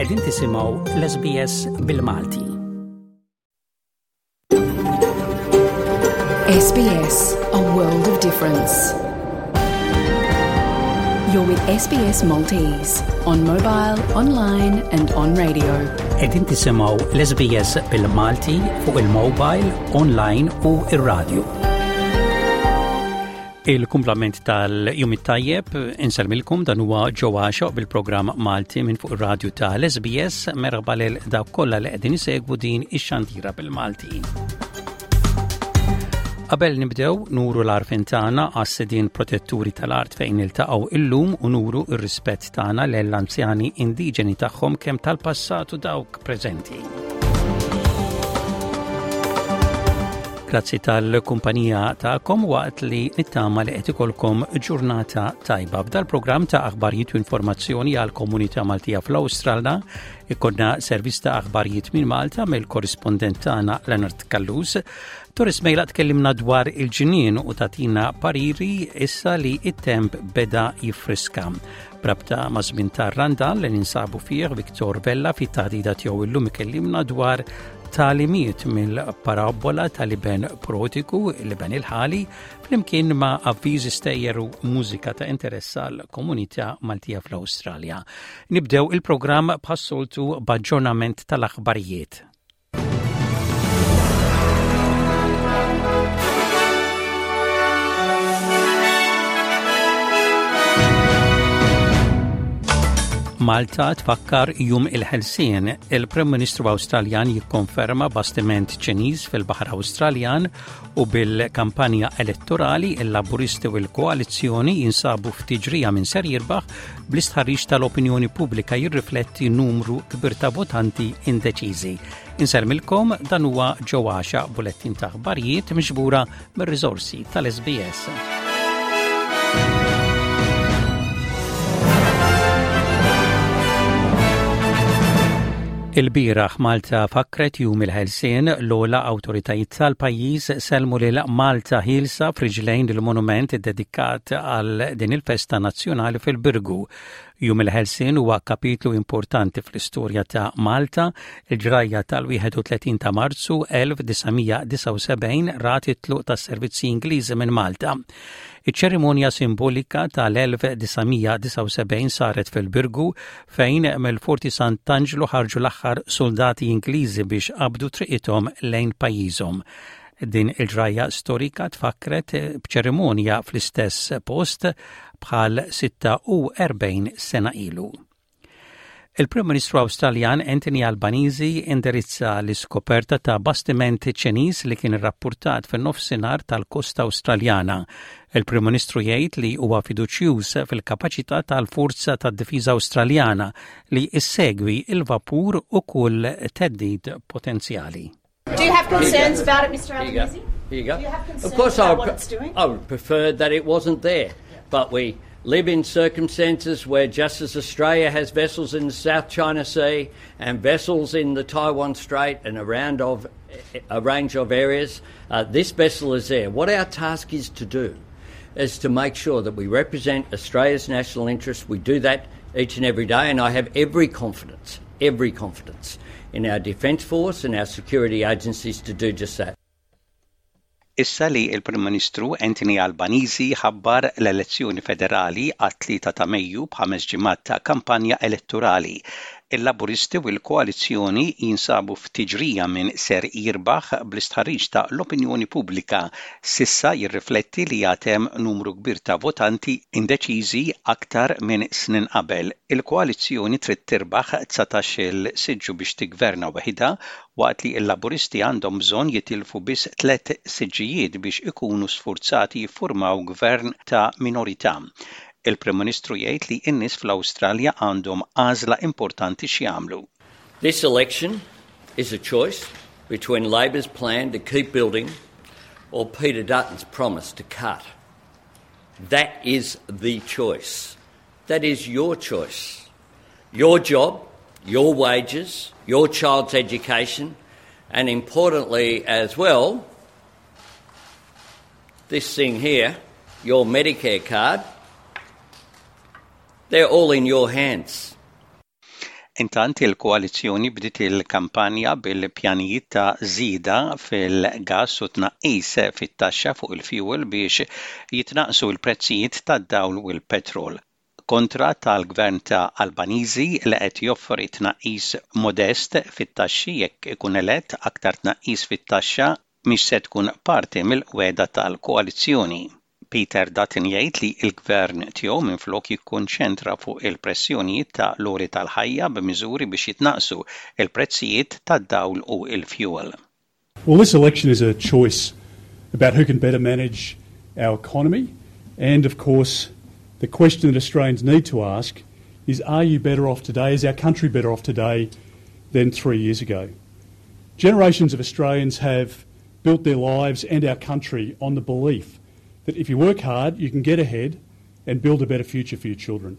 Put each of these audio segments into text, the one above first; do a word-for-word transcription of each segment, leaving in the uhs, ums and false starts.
Qegħdin tisimgħu l-S B S bil-Malti. S B S, a world of difference. You're with S B S Maltese on mobile, online and on radio. Qegħdin tisimgħu l-S B S bil-Malti fuq il-mobile, online u ir-radio. Il-kumplament tal-jum it-tajjeb, insellmilkom, dan huwa Joe bil-programm Malti minn fuq ir-radju tal-S B S. Merħba lil dawk kollha li qegħdin isegwu din ix-xandira bil-Malti. Qabel nibdew, nuru l-għarfien tagħna għas-sidien protetturi tal-art fejn niltaqgħu illum u nuru r-rispett tagħna lill-anzjani indiġeni tagħhom, kemm tal-passat u dawk preżenti. Grazzi tal-kumpanija tagħkom waqt li nittama li qed ikolkom ġurnata tajba. F'dal-programm ta' aħbarijiet u informazzjoni għal komunità Maltija fl-Awstralja ikollna servizz ta' aħbarijiet minn Malta mill-korrispondent tagħna Leonard Callus. Doris Mejla tkellimna dwar il-ġinien u tagħtina pariri issa li it-temp beda jiffriska. B'rabta ma' żmien tar-Randan li ninsabu fih, Viktor Vella fit-taħdida tiegħu illum ikellimna dwar tagħlimiet mill-parabola tal-iben prodigu, l-iben il-ħali, flimkien ma' avviżi, stejjer u mużika ta' interess għal komunità Maltija fl-Awstralja. Nibdew il-programm bħas-soltu b'aġġornament tal-aħbarijiet. Malta tfakkar Jum il-Ħelsien. Il-Prim Ministru Awstraljan jikkonferma bastiment Ċiniż fil-Baħar Awstraljan u bil-kampanja elettorali, il-Laburisti u l-Koalizzjoni jinsabu f'tiġrija minn ser jirbaħ, bl-istħarriġ tal-opinjoni pubblika jirrifletti numru kbir ta' votanti indeċiżi. Insellmilkom, dan huwa Joe Axiaq, bulettin ta' aħbarijiet miġbura mir-riżorsi tal-S B S. Il-bieraħ Malta fakret Jum il-Ħelsien. L-ogħla awtoritajiet tal-pajjiż sellmu lil Malta ħielsa f'riġlejn il-monument dedikat għal din il-festa nazzjonali fil-Birgu. Jum il-Ħelsien huwa kapitlu importanti fl-istorja ta' Malta. Il-ġrajja tal-wieħed u tletin ta' Marzu elf disa' mija disgħa u sebgħin rat it-tluq tas-servizzi Ingliżi minn Malta. Iċ-ċerimonja simbolika tal-elf disa' mija disgħa u sebgħin saret fil-Birgu, fejn mill-Forti Sant'Angelo ħarġu l-aħħar soldati Ingliżi biex qabdu triqithom lejn pajjiżhom. Din il-ġrajja storika tfakret b'ċerimonja fl-istess post bħal sitta u erbgħin sena ilu. Il-Prim Ministru Awstraljan Anthony Albanese indirizza l-iskoperta ta' bastiment Ċiniż li kien irrappurtat fin-nofsinhar tal-kosta Awstraljana. Il-Prim Ministru jgħid li huwa fiduċjuż fil-kapaċità tal-Forza tad-Difiża Awstraljana li issegwi il-vapur u kull theddid potenzjali. Do you have concerns about it, Mister Here you go. Albanese? Here you go. Do you have concerns Of course, about I what would, it's doing? I would prefer that it wasn't there. But we live in circumstances where, just as Australia has vessels in the South China Sea and vessels in the Taiwan Strait and around of a range of areas, uh, this vessel is there. What our task is to do is to make sure that we represent Australia's national interests. We do that each and every day, and I have every confidence, every confidence in our Defence Force and our security agencies to do just that. Issa li il-Prim Ministru Anthony Albanese ħabbar l-elezzjoni federali għat-tlieta ta' Mejju, b'ħames ġimgħat ta' kampanja elettorali, il-Laburisti u l-Koalizzjoni jinsabu f'tiġrija minn ser jirbaħ, bl-istħarriġ ta' l-opinjoni pubblika s'issa jirrifletti li għad hemm numru kbir ta' votanti indeċiżi, aktar minn snin qabel. Il-koalizzjoni trid tirbaħ dsatax-il siġġu biex tigverna waħidha, waqt li l-Laburisti għandhom bżonn jitilfu biss tliet siġġijiet biex ikunu sfurzati jiffurmaw gvern ta' minorità. Il-Prim Ministru jgħid li n-nies fl-Awstralja għandhom għażla importanti x'jagħmlu. This election is a choice between Labor's plan to keep building or Peter Dutton's promise to cut. That is the choice. That is your choice. Your job, your wages, your child's education, and importantly as well, this thing here, your Medicare card, they're all in your hands. Intant il-koalizzjoni bdiet il-kampanja bil-pjanijiet ta' żieda fil-gas u tnaqqis fit-taxxa fuq il-fuel biex jitnaqsu l-prezzijiet tad-dawl u l-petrol. Kontra tal-gvern ta' Albanese li qed joffri tnaqqis modest fit-taxxi jekk ikun elett aktar tnaqqis fit-taxxa mhix se tkun parti mill-wegħda tal-koalizzjoni. Peter Dutton jgħid li l-gvern tiegħu minflok jikkonċentra fuq il-pressjonijiet ta' l-għoli tal-ħajja b'miżuri biex jitnaqsu il-prezzijiet tad-dawl u il-fuel. Well, this election is a choice about who can better manage our economy and, of course, the question that Australians need to ask is are you better off today, is our country better off today than three years ago? Generations of Australians have built their lives and our country on the belief that if you work hard, you can get ahead and build a better future for your children.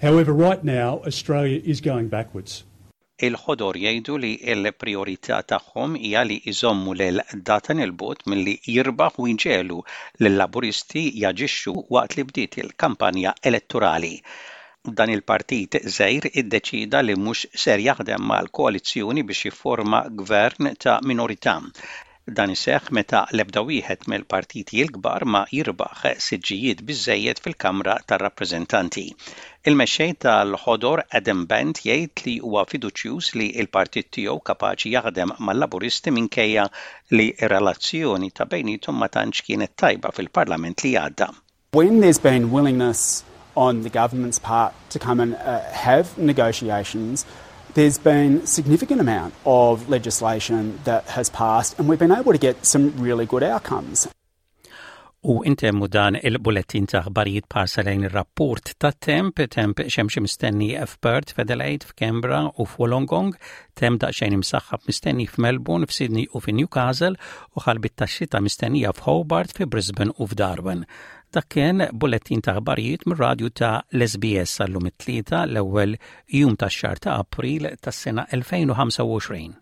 However, right now, Australia is going backwards. Il-ħodor jgħidu li l-priorità tagħhom hija li jżommu lil Dutton 'il bogħod milli jirbaħ u jġegħlu lill-Laburisti jaġixxu waqt li bdiet il-kampanja elettorali. Dan il-partit żgħir iddeċida li mhux ser jaħdem mal-koalizzjoni biex jifforma gvern ta' minorità. Dan iseħħ meta l-ebda wieħed mill-partiti l-kbar ma jirbaħ siġġijiet biżejjed fil-Kamra tar-Rappreżentanti. Il-mexxej tal-ħodor Adam Bandt jgħid li huwa fiduċjuż li l-partit tiegħu kapaċi jaħdem mal-Laburisti minkejja li r-relazzjoni ta' bejniethom ma tantx kienet tajba fil-Parlament li għadda. When there's been willingness on the government's part to come and uh, have negotiations, there's been significant amount of legislation that has passed and we've been able to get some really good outcomes. U intemmu dan il-bullettin ta' aħbarijiet b'ħarsa lejn ir-rapport ta' temp, temp xemxi mistenni f'Perth, f'Adelaide, f'Canberra u f'Wollongong, temp daqsxejn imsaħħab mistenni f'Melbourne, f'Sydney u f'Newcastle u ħalbiet tax-xita mistennija f'Hobart, fi Brisbane u f'Darwin. Dak kien bullettin ta' aħbarijiet mir-radju ta' l-SBS għallum it-tlieta l-ewwel jum tax-xahar ta' April tas-sena elfejn u ħamsa u għoxrin.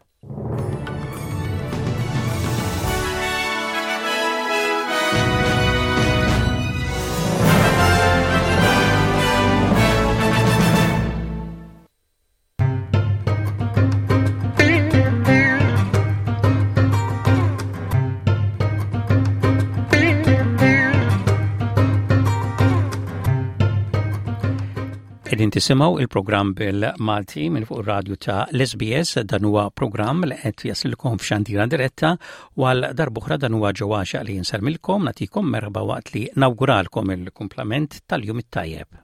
Qegħdin tisimgħu il-programm bil-Malti minn fuq ir-radju ta' l-S B S. Dan huwa programm li qed jasilkom f'xandira diretta u għal darb'oħra dan huwa Joe Axiaq li nsellmilkom, nagħtikom merħba waqt li nawguralkom il-kumplament tal-jum it-tajjeb.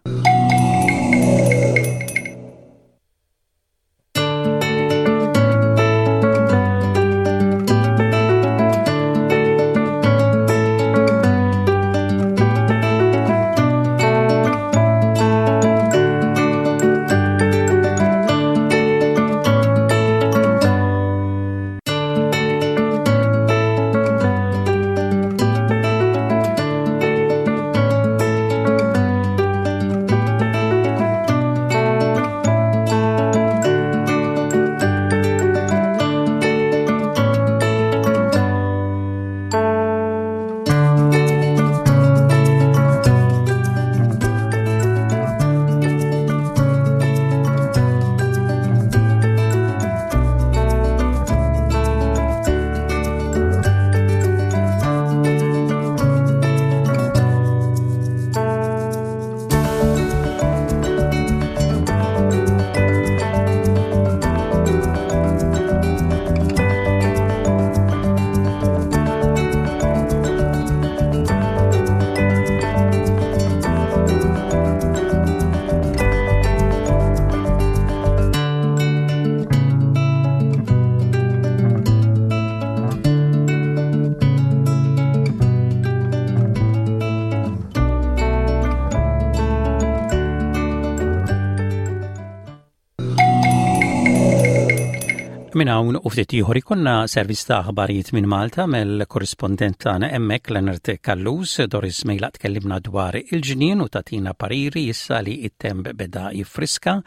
Minn hawn u ftit ieħor ikollna servizz ta' aħbarijiet minn Malta mill-korrispondent tagħna hemmhekk Leonard Callus. Doris Mejlaq tkellimna dwar il-ġnien u tagħtina pariri issa li it-temp beda jiffriska.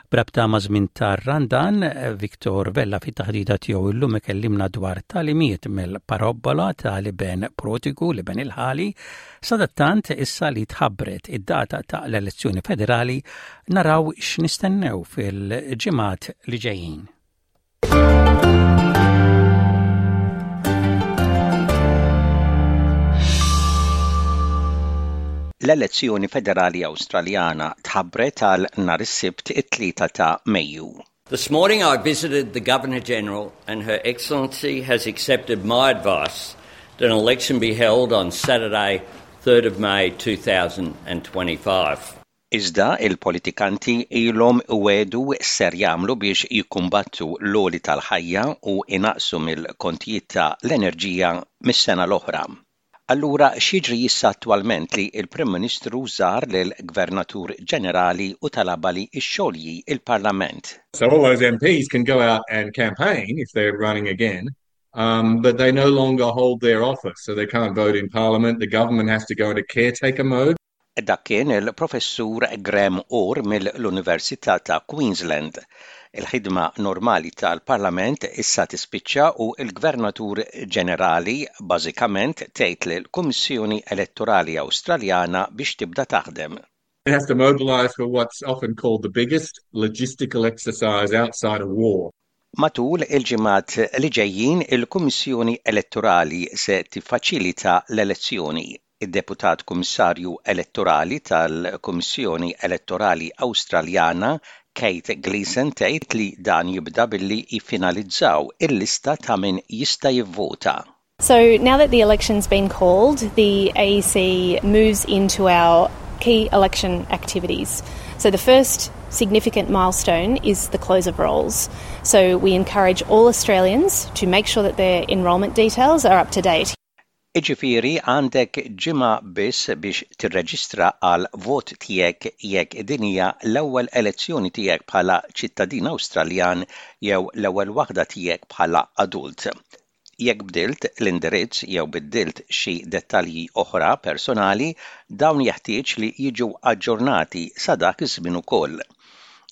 B'rabta ma' żmien tar-Randan, Victor Vella fit-taħdita tiegħu illum ikellimna dwar tagħlimiet mill-parabbola tal-iben prodigu, l-iben il-ħali. Sadattant, issa li tħabbret id-data ta' l-elezzjoni federali, naraw x'nistennew fil-ġimgħat li ġejjin. L-elezzjoni federali Awstraljana tħabbret għal nhar is-Sibt, it-tlieta ta' Mejju. This morning I visited the Governor General and Her Excellency has accepted my advice that an election be held on Saturday, third of May twenty twenty-five. Iżda il-politikanti ilhom iwiegħdu ser jagħmlu biex jikkumbattu l-għoli tal-ħajja u inaqsu mill-kontijiet ta' l-enerġija mis-sena l-oħra. Allura x'jiġri issa attwalment li il-Prim Ministru żar lill-Gvernatur Ġenerali u talabha li xxolji il-Parlament? So all those M Ps can go out and campaign if they're running again, um, but they no longer hold their office, so they can't vote in Parliament. The government has to go into caretaker mode. Dak kien il-professur Graham Orr mill-Università ta' Queensland. Il-ħidma normali tal-Parlament issa tispiċċa u il-Gvernatur Ġenerali bażikament tgħid lill-Kummissjoni Elettorali Awstraljana biex tibda taħdem. It has to mobilize for what's often called the biggest logistical exercise outside of war. Matul il-ġimgħat li ġejjin, il-Kummissjoni Elettorali se tiffaċilita l-elezzjoni. Id-Deputat Kummissarju Elettorali tal-Kummissjoni Elettorali Awstraljana Kate Gleason tgħid li dan jibda billi jiffinalizzaw il-lista ta' min jista' jivvota. So now that the election's been called, the A E C moves into our key election activities. So the first significant milestone is the close of rolls. So we encourage all Australians to make sure that their enrolment details are up to date. Iġifieri għandek ġimgħa biss biex tirreġistra għal vot tiegħek jekk din hija l-ewwel elezzjoni tiegħek bħala ċittadin Awstraljan jew l-ewwel waħda tiegħek bħala adult. Jekk bdilt l-indirizz jew biddilt xi dettalji oħra personali, dawn jeħtieġ li jiġu aġġornati sa dak iż-żmien ukoll.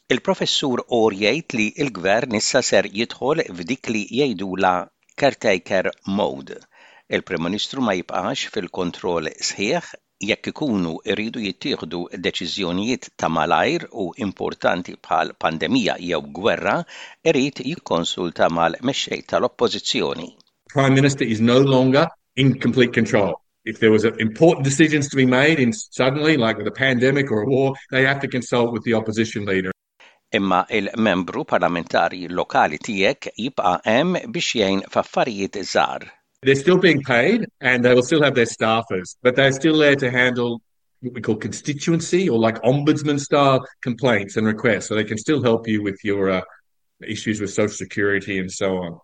Il-professur Orr jgħid li l-gvern issa ser jidħol f'dik li jgħidula caretaker mode. Il-Prim Ministru ma jibqax fil-kontroll sħiħ. Jekk ikunu iridu jittieħdu deċiżjonijiet ta' malajr u importanti bħal pandemija jew gwerra, irid jikkonsulta mal-mexxej tal-Oppożizzjoni. Prime Minister is no longer in complete control. If there was important decisions to be made in suddenly, like with a pandemic or a war, they have to consult with the opposition leader. Imma il-membru parlamentari lokali tiegħek jibqa' hemm biex jgħin f'affarijiet żgħar. They're still being paid and they will still have their staffers, but they're still there to handle what we call constituency or like ombudsman style complaints and requests. So they can still help you with your uh, issues with social security and so on.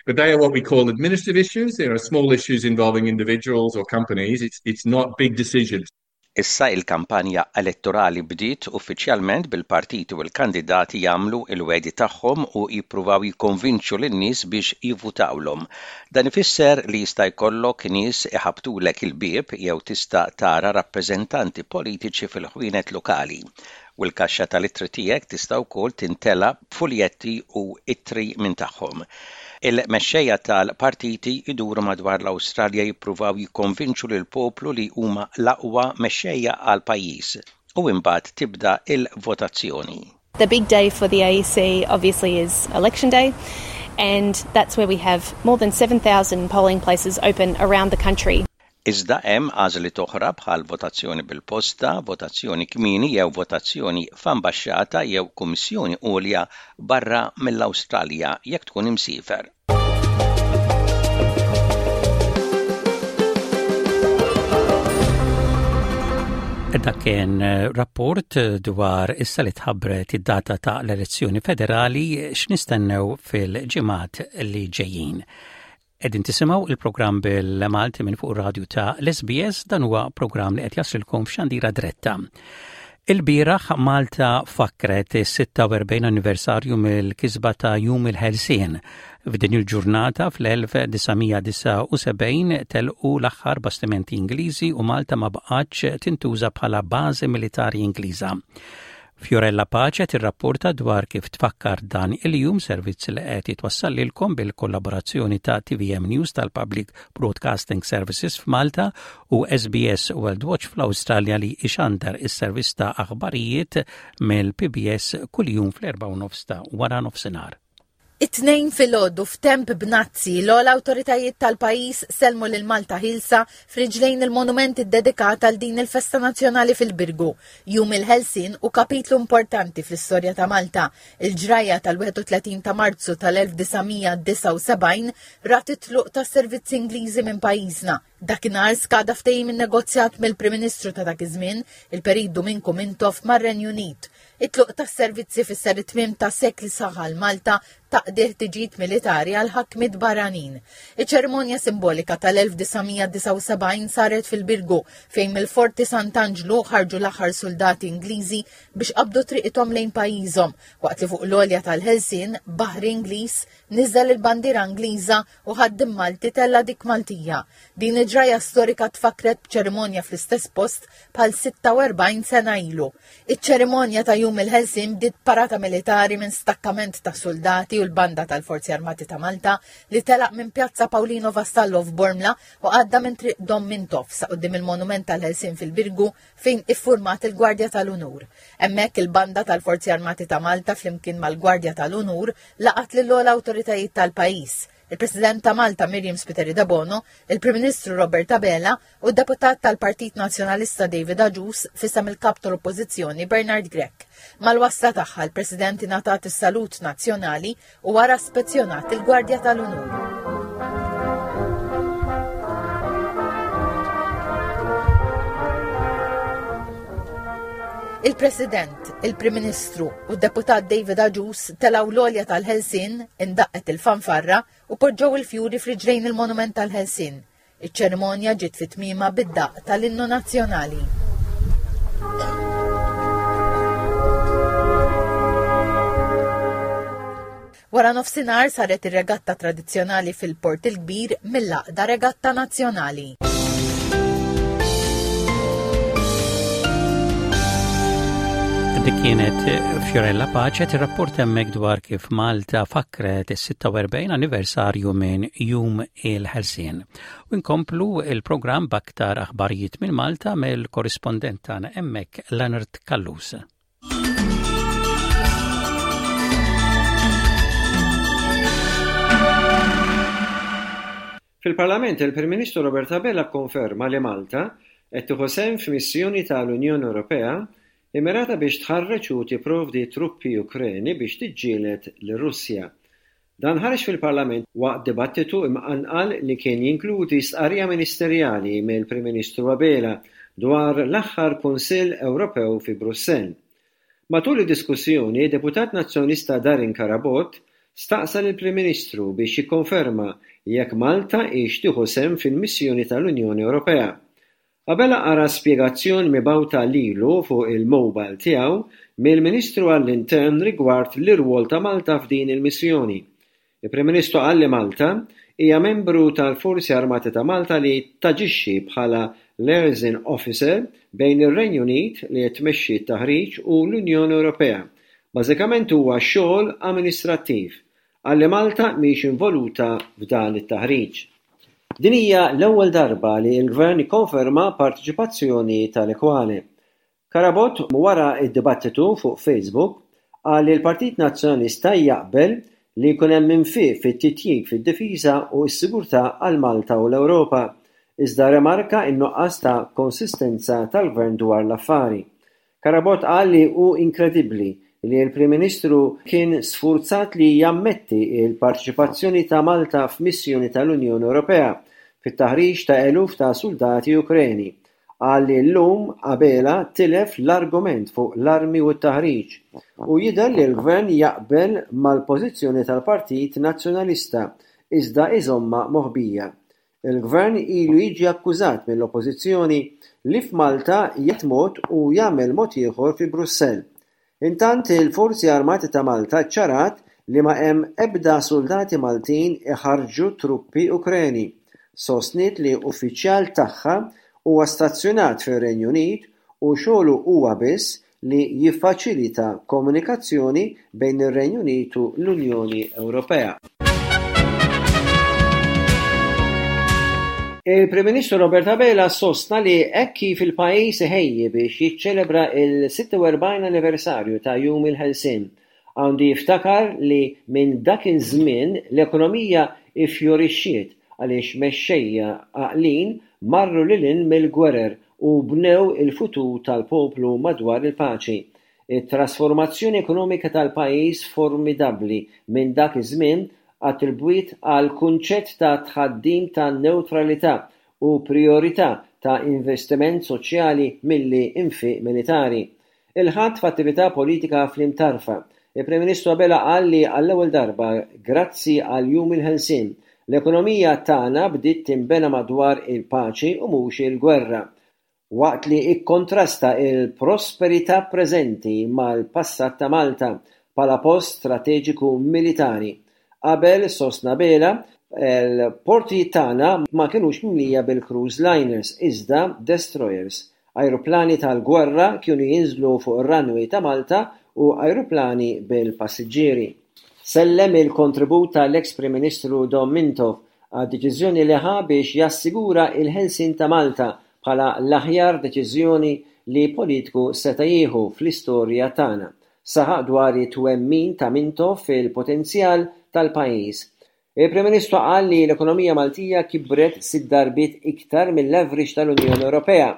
But they are what we call administrative issues. There are small issues involving individuals or companies. It's, it's not big decisions. Issa il-kampanja elettorali bdiet uffiċjalment, bil-partiti u l-kandidati jagħmlu il-wegħdi tagħhom u jippruvaw jikkonvinċu lin-nies biex jivvutawlhom. Dan ifisser li jista' jkollok nies iħabtulek il-bieb jew tista' tara rappreżentanti politiċi fil-ħwienet lokali. U l-kaxxa tal-ittri tiegħek tista' wkoll tintela b'fuljetti u ittri minn tagħhom. Il-mexxejja tal-partiti iduru madwar l-Awstralja jippruvaw jikkonvinċu lil poplu li huma l-aqwa mexxejja għal pajjiż u imbagħad tibda il-votazzjoni. The big day for the A E C obviously is election day, and that's where we have more than seven thousand polling places open around the country. Iżda hemm għażliet oħra bħal votazzjoni bil-posta, votazzjoni kmieni jew votazzjoni f'ambaxxata jew kummissjoni għolja barra mill-Awstralja jekk tkun imsiefer. Dak kien rapport dwar issa li tħabbret id-data ta' l-elezzjoni federali, x'nistennew fil-ġimgħat li ġejjin. Qegħdin tisimgħu il-programm bil-Malti minn fuq radio ta' l-S B S. Dan huwa programm li qed jaslilkom f'xandira diretta. Il-bieraħ Malta fakret is-sitta u erbgħin anniversarju mill-kisba ta' Jum il-Ħelsien. F'din il-ġurnata fl-elf disa' mija disgħa u sebgħin telqu l-aħħar bastimenti Ingliżi u Malta ma baqgħetx tintuża bħala bażi militari Ingliża. Fiorella Pace tirrapporta dwar kif tfakkar dan il-jum, servizz li qed jitwassal lilkom bil-kollaborazzjoni ta' T V M News tal-Public Broadcasting Services f'Malta u S B S World Watch fl-Awstralja, li ixandar is-servizz ta' aħbarijiet mill-P B S kuljum fl-erba' nofs ta' wara nofsinhar. It-Tnejn filgħodu, f'temp bnazzi, l-ogħla awtoritajiet tal-pajjiż sellmu lil Malta Ħielsa f'riġlejn il-monument iddedikat għal din il-festa nazzjonali fil-Birgu. Jum il-Ħelsien hu kapitlu importanti fl-istorja ta' Malta. Il-ġrajja tal-wieħed u tletin ta' Marzu tal-elf disa' mija disgħa u sebgħin rat it-tluq tas-servizzi Ingliżi minn pajjiżna. Dakinhar skada ftehim innegozjat mill-Prim Ministru ta' dak iż-żmien, il-Perit Duminku Mintoff, mar-Renju Unit. It-tluq tas-servizzi fisser it-tmiem ta' sekli sħaħ Malta taqdi ħtiġijiet militari għal ħakmiet barranin. Iċ-ċerimonja simbolika tal-elf disa' mija disgħa u sebgħin saret fil-Birgu, fejn mill-Forti Sant'Anġlu ħarġu l-aħħar soldati Ingliżi biex qabdu triqithom lejn pajjiżhom, waqt li fuq l-għolja tal-Ħelsien baħri Ingliż niżel il-bandiera Ingliża u ħaddiem Malti tella dik Maltija. Din il-ġrajja storika tfakret b'ċerimonja fl-istess post bħal sitta u erbgħin sena ilu. Iċ-ċerimonja ta' Jum il-Ħelsien bdiet parata militari minn stakkament ta' soldati u l-banda tal-Forzi Armati ta' Malta li telaq minn Pjazza Paolino Vassallo f'Bormla u għadda minn Triq Dom Mintoff sa quddiem il-Monument tal-Ħelsien fil-Birgu, fejn iffurmat il-Gwardja tal-Unur. Hemmhekk il-banda tal-Forzi Armati ta' Malta flimkien mal-Gwardja tal-Unur laqat lill-ogħla awtoritajiet tal-pajjiż: il-President ta' Malta Myriam Spiteri Debono, il-Prim Ministru Robert Abela u d-deputat tal-Partit Nazzjonalista David Agius f'isem il-kap tal-Oppożizzjoni Bernard Grech. Mal-wasla tagħha, l-President ingħatat is-salut nazzjonali u wara spezzjonat il-Gwardja tal-Unur. Il-President, il-Prim Ministru u d-deputat David Agius telgħu l-għolja tal-Ħelsien, indaqqet il-fanfarra u poġġew il-fjuri f'riġlejn il-Monument tal-Ħelsien. Iċ-ċerimonja ġiet fi tmiemha bid-daqq tal-innu nazzjonali. Wara nofsinhar saret ir-regatta tradizzjonali fil-Port il-Kbir mill-Għaqda Regatta Nazzjonali. Dik kienet Fiorella Pace tirrapporta hemmhekk dwar kif Malta fakret is-sitta u erbgħin anniversarju minn Jum il-Ħelsien. U nkomplu il-programm b'aktar aħbarijiet minn Malta mill-korrispondent tagħna hemmhekk, Leonard Callus. Fil-Parlament, il-Prim Ministru Robert Abela konferma li Malta qed tieħu sehem f'missjoni tal-Unjoni Ewropea immirata biex tħarreġ u tipprovdi truppi Ukreni biex tiġġieled lir-Russja. Dan ħareġ fil-Parlament waqt dibattitu imqanqal li kien jinkludi stqarrija ministerjali mill-Prim Ministru Abela dwar l-aħħar Kunsill Ewropew fi Brussell. Matul id-diskussjoni, deputat Nazzjonalista Darin Carabott staqsa lill-Prim Ministru biex jikkonferma jekk Malta hix tieħu sehem fil-missjoni tal-Unjoni Ewropea. Abela qara spjegazzjoni mibgħuta lilu fuq il-mobile tiegħu mill-Ministru għall-Intern rigward l-irwol ta' Malta f'din il-missjoni. Il-Prim Ministru qal li Malta hija membru tal-Forzi Armati ta' Malta li taġixxi bħala liaison officer bejn ir-Renju Unit, li qed tmexxi t-taħriġ, u l-Unjoni Ewropea. Bażikament huwa xogħol amministrattiv. Qal li Malta mhix involuta f'dan it-taħriġ. Din hija l-ewwel darba li l-Gvern ikkonferma parteċipazzjoni tal-ekwali. Carabott, wara id-dibattitu, fuq Facebook qal li l-Partit Nazzjonalista jaqbel li jkun hemm infiq fit-titjib fid-difiża u s-sigurtà għal Malta u l-Ewropa, iżda remarka n-nuqqas ta' konsistenza tal-Gvern dwar l-affari. Carabott qal li hu inkredibbli li l-Prim Ministru kien sfurzat li jammetti il-parteċipazzjoni ta' Malta f'missjoni tal-Unjoni Ewropea fit-taħriġ ta' eluf ta' soldati Ukreni. Qal li llum Abela tilef l-argument fuq l-armi u t-taħriġ u jidher li l-Gvern jaqbel mal-pożizzjoni tal-Partit Nazzjonalista iżda iżommha moħbija. Il-Gvern ilu jiġi akkużat mill-Oppożizzjoni li f'Malta jgħid mod u jagħmel mod ieħor fi Brussell. Intant, il-Forzi Armati ta' Malta ċarat li ma hemm ebda soldati Maltin iħarrġu truppi Ukreni. Sostniet li uffiċjal tagħha huwa stazzjonat fir-Renju Unit u xogħlu huwa biss li jiffaċilita komunikazzjoni bejn ir-Renju Unit u l-Unjoni Ewropea. Il-Prim Ministru Robert Abela sostna li hekk kif il-pajjiż iħejji biex jiċċelebra il-sitta u erbgħin anniversarju ta' Jum il-Ħelsien, għandu jiftakar li minn dak iż-żmien l-ekonomija iffjorixxiet għaliex mexxejja għaqlin marru lil hinn mill-gwerer u bnew il-futur tal-poplu madwar il-paċi. It-trasformazzjoni ekonomika tal-pajjiż formidabbli minn dak iż-żmien attribwit għal kunċett ta' tħaddim ta' newtralità u priorità ta' investiment soċjali milli infiq militari. Il-Ħadd f'attività politika fl-Imtarfa, il-Prim Ministru Abela qal li għall-ewwel darba grazzi għal Jum il-Ħelsien, l-ekonomija tagħna bdiet tinbena madwar il-paċi u mhux il-gwerra, waqt li ikkontrasta il-prosperità preżenti mal-passat ta' Malta bħala post strateġiku militari. Qabel, sostna Abela, il-portijiet tagħna ma kinux mimlija bil-cruise liners, iżda destroyers. Ajruplani tal-gwerra kienu jinżlu fuq ir-runway ta' Malta u ajruplani bil-passiġġieri. Sellem il-kontribut tal-ex Prim Ministru Dom Mintoff għad-deċiżjoni li ħa biex jassigura il-ħelsien ta' Malta bħala l-aħjar deċiżjoni li politiku seta' jieħu fl-istorja tagħna. Saħaq dwar it-twemmin ta' Mintoff fil-potenzjal tal-pajjiż. Il-Prim Ministru qal li l-ekonomija Maltija kibret sitt darbiet iktar mill-average tal-Unjoni Ewropea,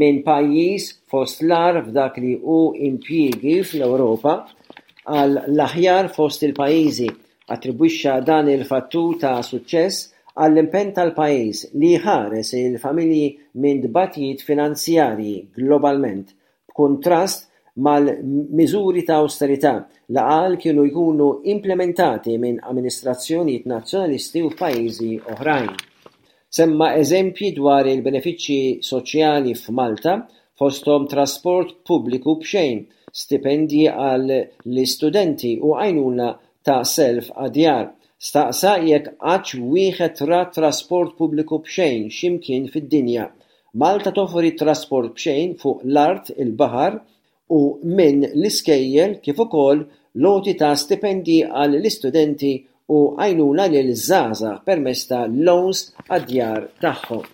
minn pajjiż fost l-agħar f'dak li hu impjiegi fl-Ewropa għal l-aħjar fost il-pajjiżi. Attribwixxa dan il-fattur ta' suċċess għall-impenn tal-pajjiż li jħares il-familji minn tbatijiet finanzjarji globalment, b'kuntrast mal-miżuri ta' austerità li qal kienu jkunu implementati minn amministrazzjonijiet nazzjonalisti u f'pajjiżi oħrajn. Semma eżempji dwar il-benefiċċji soċjali f'Malta, fosthom trasport pubbliku b'xejn, stipendji għall-istudenti u għajnuna ta' self għad-djar. Staqsa jekk qattx wieħed ra trasport pubbliku b'xejn x'imkien fid-dinja. Malta toffri trasport b'xejn fuq l-art, il-baħar u minn l-iskejjel kif ukoll loti ta' stipendji għall-istudenti u għajnuna lil żgħażagħ permezz ta' loans għad-djar tagħhom.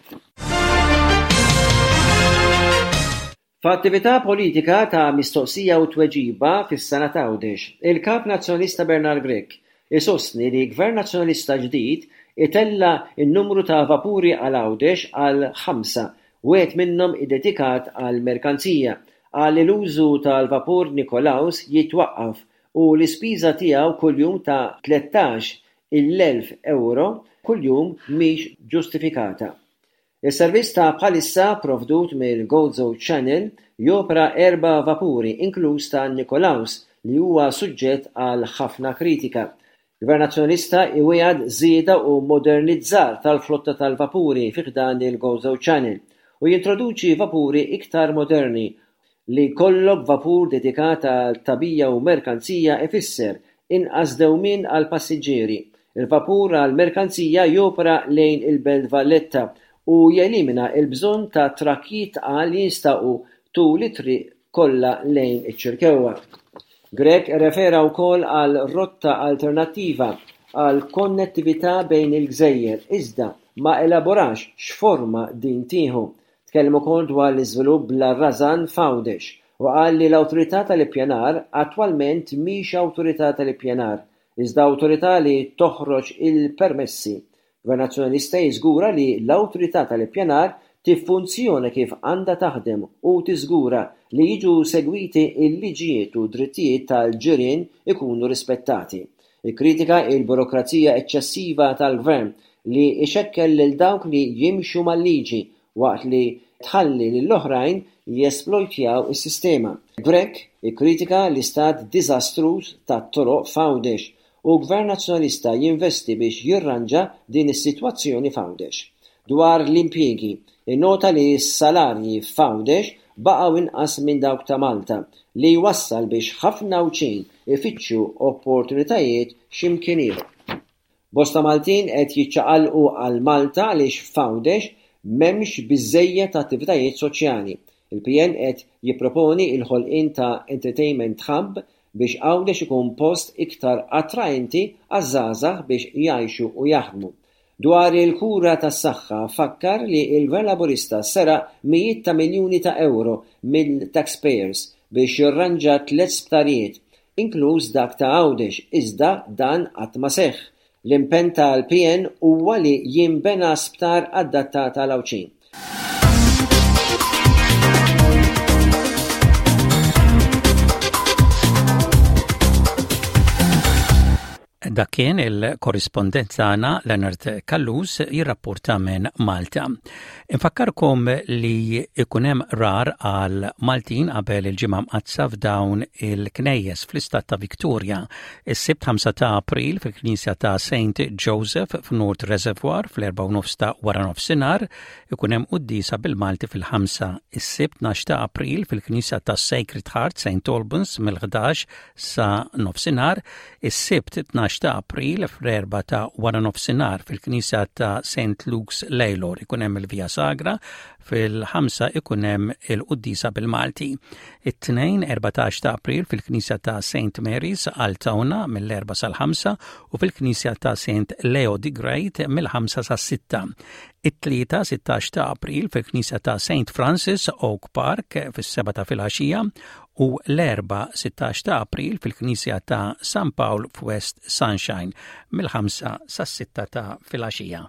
F'attività politika ta' mistoqsija u tweġiba fis-sena ta' Għawdex, il-Kap Nazzjonalista Bernard Grech isostni li Gvern Nazzjonalista ġdid itella' n-numru ta' vapuri għal Għawdex għal ħamsa, wieħed minnhom iddedikat għal merkanzija, qal li l-użu tal-vapur Nikolaus jitwaqqaf u l-ispiża tiegħu kuljum ta' tlettax il-elf euro kuljum mhix ġustifikata. Is-servizz ta' bħalissa provdut mill-Gozo Channel jopera erba' vapuri inkluż ta' Nikolaus li huwa suġġett għal ħafna kritika. Gvern Nazzjonalista iwiegħed żieda u modernizzar tal-flotta tal-vapuri fi ħdan il-Gozo Channel u jintroduċi vapuri iktar moderni. Li jkollok vapur dedikat għal tagħbija u merkanzija ifisser inqas dewmien għal passiġġieri. Il-vapur għal merkanzija jopera lejn il-Belt Valletta u jelimina l-bżonn ta' trakkijiet tqal li jinstaqu tul it-triq kollha lejn iċ-Ċirkewwa. Grech irrefera wkoll għal rotta alternattiva għal konnettività bejn il-gżejjer, iżda ma elaborax x'forma din tieħu. Tkellem ukoll dwar l-iżvilupp bla rażan f'Għawdex u qal li l-Awtorità tal-Ippjanar attwalment mhix Awtorità tal-Ippjanar, iżda awtorità li toħroġ il-permessi. Gvern Nazzjonalista jiżgura li l-Awtorità tal-Ippjanar tiffunzjona kif għandha taħdem u tiżgura li jiġu segwiti l-liġijiet u drittijiet tal-ġirien ikunu rispettati. Ikkritika l-burokrazija eċċessiva tal-gvern li ixekkel lil dawk li jimxu mal-liġi waqt li tħalli lill-oħrajn jesplojtjaw is-sistema. Grech ikkritika l-istat diżastruż tat-toroq f'Għawdex u Gvern Nazzjonalista jinvesti biex jirranġa din is-sitwazzjoni f'Għawdex. Dwar l-impjiegi, innota li s-salarji f'Għawdex baqgħu inqas minn dawk ta' Malta, li jwassal biex ħafna Għawdxin ifittxu opportunitajiet x'imkien ieħor. Bosta Maltin qed jiċċaqalqu għal Malta għaliex f'Għawdex m'hemmx biżżejjed attivitajiet soċjali. Il-P N qed jipproponi l-ħolqien ta' entertainment hub biex Għawdex ikun post iktar attraenti għaż-żgħażagħ biex jgħixu u jaħdmu. Dwar il-kura tas-saħħa, fakkar li l-Gvern Laburista seraq mijiet ta' miljuni ta' euro mill-taxpayers biex jirranġa tliet sptarijiet, inkluż dak ta' Għawdex, iżda dan qatt ma seħħ. L-impenn tal-P N huwa li jinbena sptar adattat għal Għawdxin. Dak kien il-korrispondent tagħna Leonard Callus jirrapporta minn Malta. Infakkarkom li ikun hemm qrar għal Maltin qabel il-Ġimgħa Mqaddsa f'dawn il-knejjes fl-istat ta' Victoria. Is-Sibt ħamsa ta' April fil-Knisja ta' Saint Joseph f'North Reservoir fl-erba' nofs ta' wara nofsinhar ikun hemm quddiesa bil-Malti fil-ħamsa. Is-Sibt tnax ta' April fil-Knisja ta' Sacred Heart Saint Albans mill-ħdax sa nofsinhar. Is-Sibt tnax ta' April fl-erba' ta' wara nofsinhar fil-Knisja ta' Saint Luke's Lalor ikun hemm il-Via Sagra, fil-ħamsa ikun hemm il-Quddisa bil-Malti. It-Tnejn erbatax ta' April fil-Knisja ta' Saint Mary's Altona mill-erba' sal-ħamsa u fil-Knisja ta' Saint Leo the Great mill-ħamsa sas-sitta. It-Tlieta sittax ta' April fil-Knisja ta' Saint Francis Oak Park fis-seba' ta' filgħaxija u l-Erbgħa sittax ta' April fil-Knisja ta' San Paul f'West Sunshine mill-ħamsa sas-sitta ta' filgħaxija.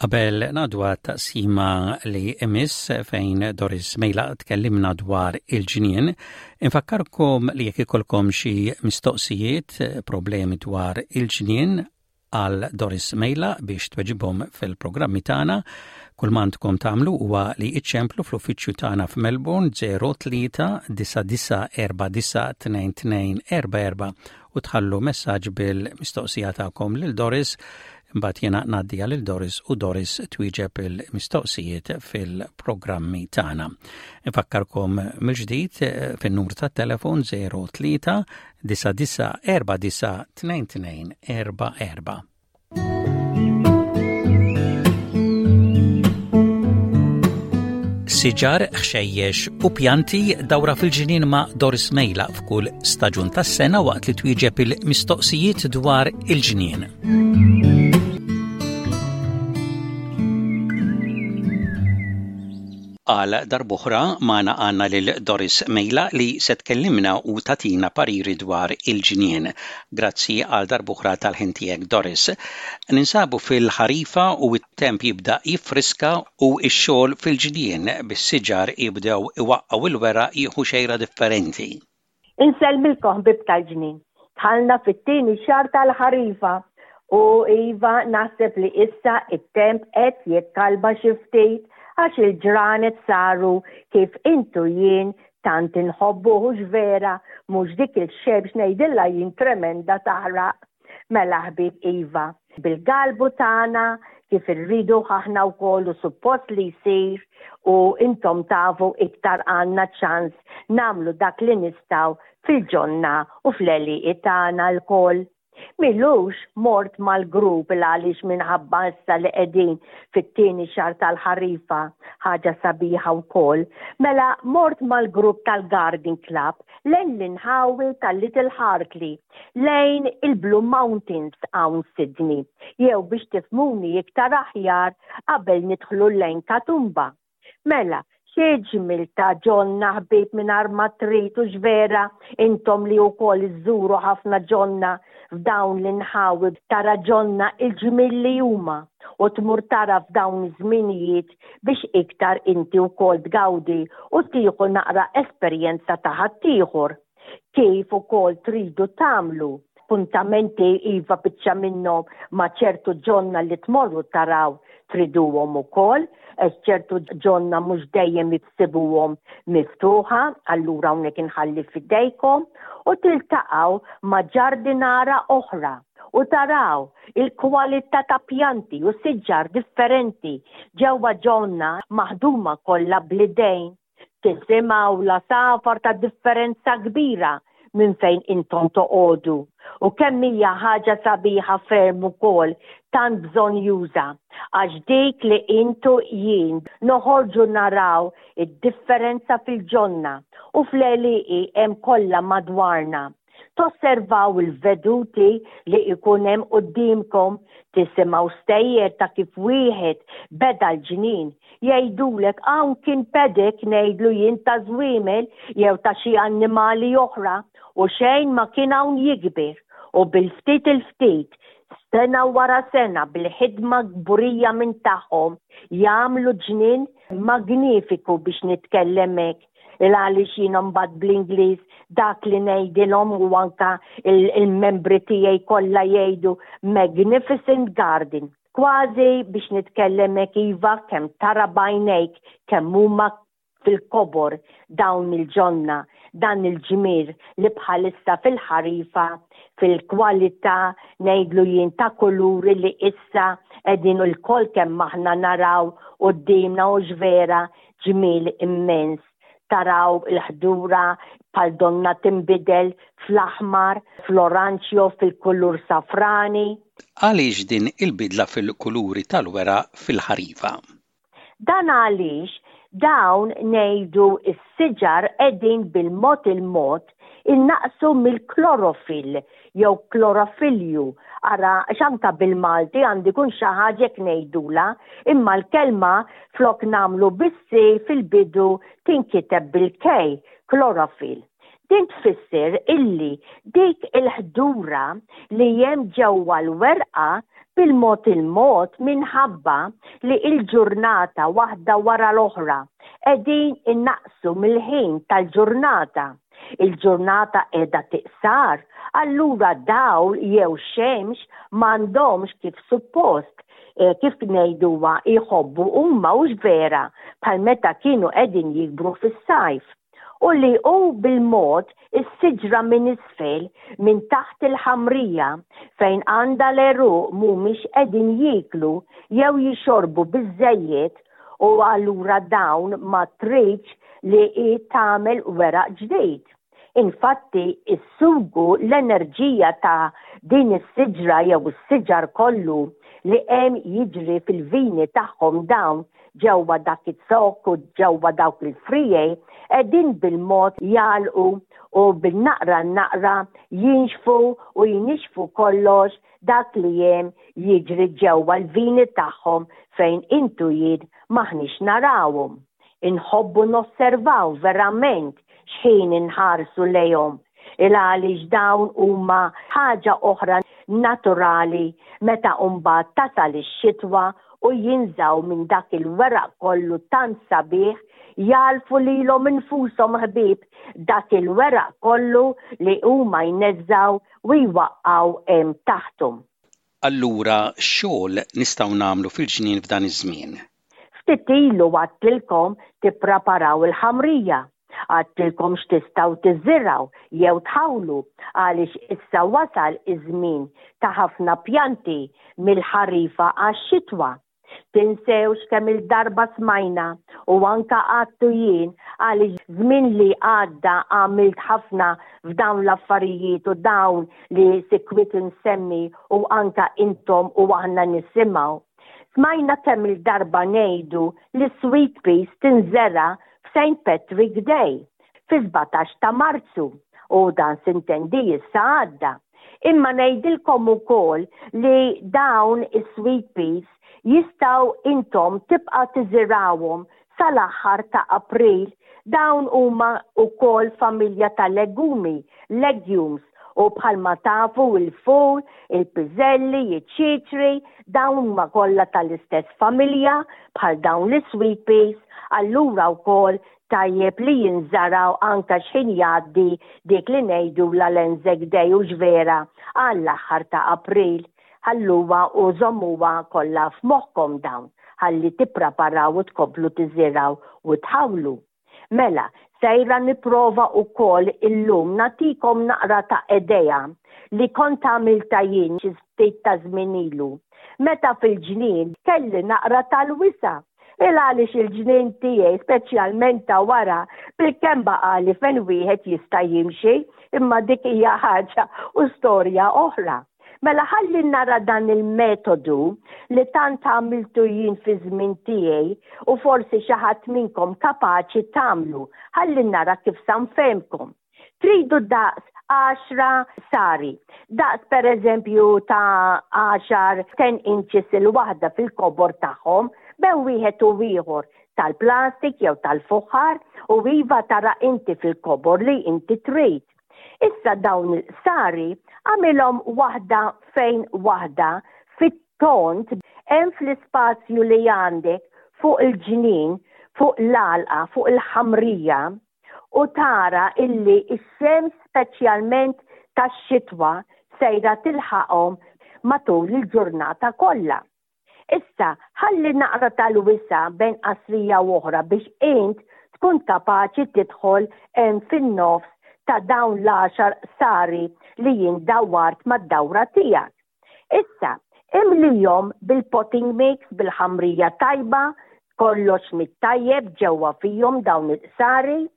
Qabel ngħaddu taqsima li jmiss fejn Doris Mejla tkellimna dwar il-ġnien, infakkarkom li jekk ikolkom xi mistoqsijiet, problemi dwar il-ġnien għal Doris Mejla biex tweġibhom fil-programmi tagħna, kull m'għandkom tagħmlu huwa li iċċemplu fl-uffiċċju tagħna f'Melbourne zero tlieta disa' disa' erba' disa' tnejn tnejn erba' erba' u tħallu messaġġ bil-mistoqsija tagħkom lil Doris. Mbagħad jiena ngħaddiha lil Doris u Doris twieġeb il-mistoqsijiet fil-programmi tagħna. Infakkarkom mill-ġdid eh, fin-numru tat-telefon zero tlieta disa' disa' erba' disa' tnejn tnejn erba' erba'. Siġar, ħxejjex u pjanti, dawra fil-ġnien ma' Doris Mejla f'kull staġun tas-sena waqt li twieġeb il-mistoqsijiet dwar il-ġnien. Għal darb'oħra magħna għandna lil Doris Mejla li se tkellimna u tagħtina pariri dwar il-ġnien. Grazzi għal darb'oħra tal-ħin tiegħek, Doris. Ninsabu fil-ħarifa u t-temp jibda jiffriska u x-xogħol fil-ġnien bis-siġar jibdew iwaqqgħu il-weraq jieħu xejra differenti. Insellmilkom, ħbieb tal-ġnien. Dħalna fit-tieni xahar tal-ħarifa u iva, naħseb li issa it-temp qed jikkalma xi ftit għax il-ġranet saru kif intu jien tant inħobbu, hux vera, mhux dik il-xemx ngħidilha jien tremenda taħraq. Mela ħbieb, iva. Bil-galbu tagħna kif irridu aħna wkoll u suppost li jsir u intom tafu iktar għandna ċans nagħmlu dak li nistgħu fil-ġonna u fl-għelieqi tagħna lkoll. M'ilux mort mal-grupp għaliex minħabba issa li qegħdin fit-tieni xahar tal-ħarifa, ħaġa sabiħa wkoll. Mela mort mal-grupp tal-Garden Club lejn l-inħawi tal-Little Hartley, lejn il-Blue Mountains hawn Sydney, jew biex tifhmuni iktar aħjar qabel nidħlu lejn Katoomba. Mela, xi ġmiel ta' ġonna ħbieb mingħajr ma trid u vera intom li wkoll iżżuru ħafna ġonna f'dawn l-inħawi tara ġonna il-ġmiel li huma u tmur tara f'dawn iż-żminijiet biex iktar inti wkoll tgawdi u tieħu naqra esperjenza ta' ħaddieħor. Kif ukoll tridu tagħmlu appuntamenti iva biċċa minnhom ma' ċertu ġonna li tmorru taraw triduhom ukoll, għax ċertu ġonna mhux dejjem issibuhom miftuħa, allura hawnhekk inħalli f'idejkom u tiltaqgħu ma' ġardinara oħra u taraw il-kwalità ta' pjanti u siġar differenti ġewwa ġonna maħduma kollha bl-idejn. Tisimgħu l-għasafar ta' differenza kbira minn fejn intom toqogħdu. U kemm hija ħaġa sabiħa ferm ukoll tant bżonnjuża għax dik li intu jien noħorġu naraw id-differenza fil-ġonna u fl-għelieqi hemm kollha madwarna. Tosservaw il-veduti li ikun hemm quddiemkom, tisimgħu stejjer ta' kif wieħed beda l-ġnien. Jgħidulek hawn kien paddock ngħidlu jien ta' żwiemel jew ta' xi annimali oħra u xejn ma kien hawn jikber u bil-ftit il-ftit sena wara sena bil-ħidma kburija minn tagħhom jagħmlu ġnien magnifiku biex nitkellem hekk il għaliex jiena mbagħad bl-Ingliż dak li ngħidilhom u anka il-membri tiegħi kollha jgħidu magnificent garden. Kważi biex nitkellem hekk iva kemm tara b'għajnejk kemm huma fil-kobor dawn il-ġonna, dan il-ġmiel li bħalissa fil-ħarifa, fil-kwalità ngħidlu jien ta' kuluri li issa qegħdin ilkoll kemm aħna naraw quddiemna u vera ġmiel immens. Taraw il-ħdura bħal donna timbidel fl-aħmar, fl-oranġjo, fil-kulur safrani. Għaliex din il-bidla fil-kuluri tal-weraq fil-ħarifa? Dan għaliex dawn ngħidu is-siġar qegħdin bil-mod il-mod innaqsu mill-klorofil jew klorofilju. Ara, x'anka bil-Malti għandi kun xi ħaġa ngħidula, imma l-kelma flok nagħmlu bis-C fil-bidu tinkiteb bil-K, klorofil. Din tfisser illi dik il-ħdura li hemm ġewwa l-werqa bil-mod il-mod minħabba li il-ġurnata waħda wara l-oħra qegħdin innaqsu mill-ħin tal-ġurnata. Il-ġurnata qiegħda tiqsar, allura dawl jew xemx m'għandhomx kif suppost e, kif ngħiduha jħobbu huma hux vera bħal meta kienu qegħdin jikbru fis-sajf u li u bil-mod is-siġra minn isfel minn taħt il-ħamrija fejn għandha l-għeruq mhumiex qegħdin jieklu jew jixorbu biżejjed u allura dawn ma tridx li i tagħmel weraq ġdid. Infatti, is-sugu l-enerġija ta' din is-siġra jew is-siġar kollu li hemm jiġri fil-vini tagħhom dawn ġewwa dak iz-zokk u ġewwa dawk il-friegħi qegħdin bil-mod jagħlqu u bil-naqra naqra jinxfu u jinixfu kollox dak li hemm jiġri ġewwa l-vini tagħhom fejn intu jien m'aħniex narawhom. Inħobbu nosservaw verament x'ħin inħarsu lejhom il għaliex dawn huma ħaġa oħra naturali meta mbagħad tasal ix-xitwa u jinżaw minn dak il-weraq kollu tant sabiħ jagħlfu lilhom infushom ħbieb dak il-weraq kollu li huma jneżżaw u jwaqqaw hemm taħthom. Allura xogħol nistgħu nagħmlu fil-ġnien f'dan iż-żmien? Ftit ilu għedtilkom tippreparaw il-ħamrija. Għedtilkom x'tistgħu tiżirgħu jew tħawlu għaliex issa wasal iż-żmien ta' ħafna pjanti mill-ħarifa għax-xitwa. Tinsewx kemm il-darba smajna u anka għedtu jien, għaliex żmien li għadda għamilt ħafna f'dawn l-affarijiet u dawn li sikwit nsemmi u anka intom u aħna nisimgħu. Smajna kemm il-darba ngħidu li sweet peas tinżera f'Saint Patrick Day fi sbatax ta' Marzu u dan s'intendi issa għadda. Imma ngħidilkom ukoll li dawn is-sweet peas jistgħu intom tibqa' tiżirgħuhom sal-aħħar ta' April. Dawn huma wkoll familja ta' legumi, legumes, u bħalma tafu il-ful, il-piżelli, iċ-ċitri, dawn huma kollha tal-istess familja bħal dawn l-sweet peas, allura wkoll tajjeb li jinżaraw anka x'ħin jgħaddi dik li ngħidu l-Anzac Day u ġvera għall-aħħar ta' April. Ħalluha u żommuha kollha f'moħħkom dawn ħalli tippreparaw u tkomplu tiżirgħu u tħawlu. Mela, sejra nipprova wkoll illum nagħtikom naqra ta' idea li kont għamilta jien xi ftit ta' żmien ilu. Meta fil-ġnien kelli naqra tal-wisa'. Il għaliex il-ġnien tiegħi, speċjalment ta' wara, bil-kemm baqali fejn wieħed jista' jimxi, imma dik hija ħaġa u storja oħra. Mela ħalli nara dan il-metodu li tant għamiltu jien fi żmien tiegħi u forsi xi ħadd minnkom kapaċi tagħmlu. Ħalli nara kif sa nfehmkom. Tridu daqs għaxra qsari. Daqs per eżempju ta' għaxar ten inches il-waħda fil-kobor tagħhom bejn wieħed u ieħor, tal-plastik jew tal-fuħar u iva tara inti fil-kobor li inti trid. Issa dawn il-qsari għamilhom waħda fejn waħda fit-tont hemm fl-ispazju li għandek fuq il-ġnien, fuq l-għalqa, fuq il-ħamrija, u tara illi x-xemx, speċjalment tax-xitwa, sejra tilħaqhom matul il-ġurnata kollha. Issa, ħalli naqra tal-wisa bejn qasrija u oħra biex int tkun kapaċi tidħol hemm fin-nofs ta' dawn l-għaxar qsari li jien dawwart mad-dawra tiegħek. Issa, imlihom bil-potting mix, bil-ħamrija tajba, kollox mit-tajjeb ġewwa fihom dawn il-qsari,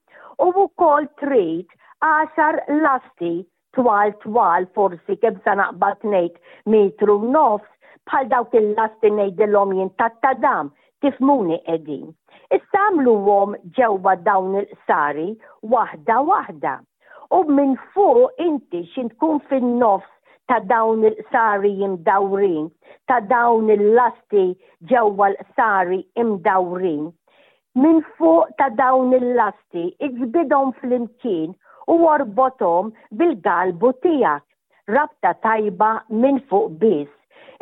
u wkoll trid għaxar lasti twal twal, forsi kemm sa naqbad ngħid metru nofs, bħal dawk il-lasti ngħidilhom jien tat-tadam, tifhmuni qegħdin. Issa għamluhom ġewwa dawn il-qsari waħda waħda. U minn fuq inti xin tkun fin-nofs ta' dawn il-qsari imdawrin, ta' dawn il-lasti ġewwa l-qsari imdawrin. Minn fuq ta' dawn il-lasti iġbidhom flimkien u orbothom bil-galbu tiegħek. Rabta tajba minn fuq biss.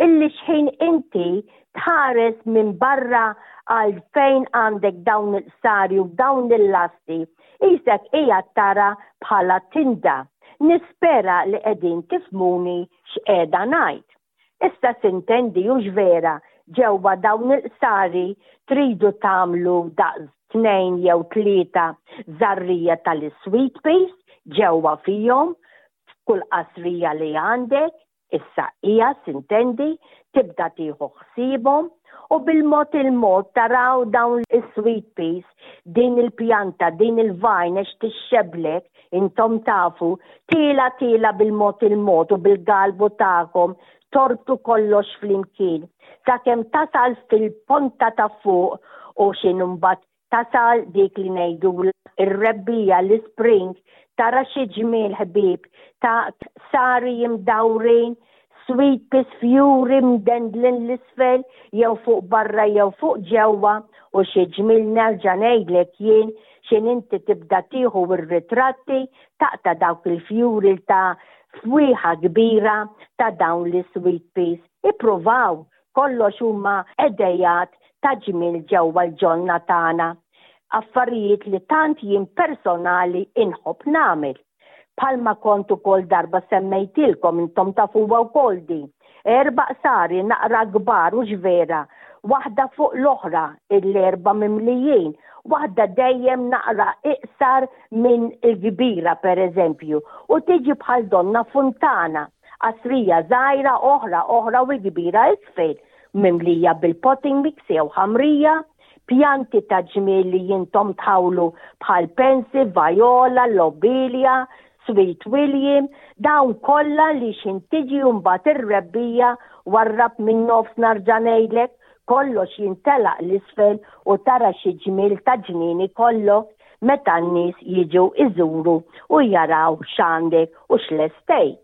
Illi xħin inti tħares minn barra għal fejn għandek dawn il-qsari u dawn il-lasti, qisek qiegħed tara bħala tinda. Nispera li qegħdin tifhmuni x'qiegħda ngħid. Issa s'intendi u vera ġewwa dawn il-qsari tridu tagħmlu daqs tnejn jew tlieta żarrija tal-sweet peas ġewwa fihom kull qasrija li għandek. Issa hija s'intendi tibda tieħu ħsiebhom u bil-mod il-mod taraw dawn is-sweet peas, din il-pjanta, din il-vine għax tixxeblek, intom tafu, tila tila bil-mod il-mod u bil-galbu tagħkom torbtu kollox flimkien. Sakemm tasal fil-ponta ta' fuq u xin mbagħad tasal dik li ngħidu ir-rebbiegħa, l-spring, tara xi ġmiel, ħbieb, ta' qsari imdawrin, sweet peas fjuri mdendlin l-isfel jew fuq barra jew fuq ġewwa u xi ġmiel. Nerġa' ngħidlek jien, xin inti tibda tieħu r-ritratti taqta' dawk il-fjuri ta' fwieħa kbira ta' dawn li sweet peas. Ippruvaw, kollox huma ideat ta' ġmiel ġewwa l-ġonna tagħna. Affarijiet li tant jien personali inħobb nagħmel. Bħalma kont ukoll darba semmejtilkom, intom tafuha wkoll din. Erba' qsari naqra kbar u vera, waħda fuq l-oħra, l-erba' mimlijin, waħda dejjem naqra iqsar minn il-kbira per eżempju, u tiġi bħal donna funtana, qasrija żgħira oħra oħra u kbira isfel, mimlija bil-potting mix jew ħamrija, pjanti ta' ġmiel li jintom tħawlu bħal pensi, viola, lobelia, Sweet William, dawn kollha li x'ħin tiġi mbagħad ir-rebbiegħa warrab minn nofs narġa' ngħidlek, kollox jintelaq l-isfel u tara xi ġmiel ta' ġnien ikollok meta n-nies jiġu iżuru u jaraw x'għandek u x'lestejt.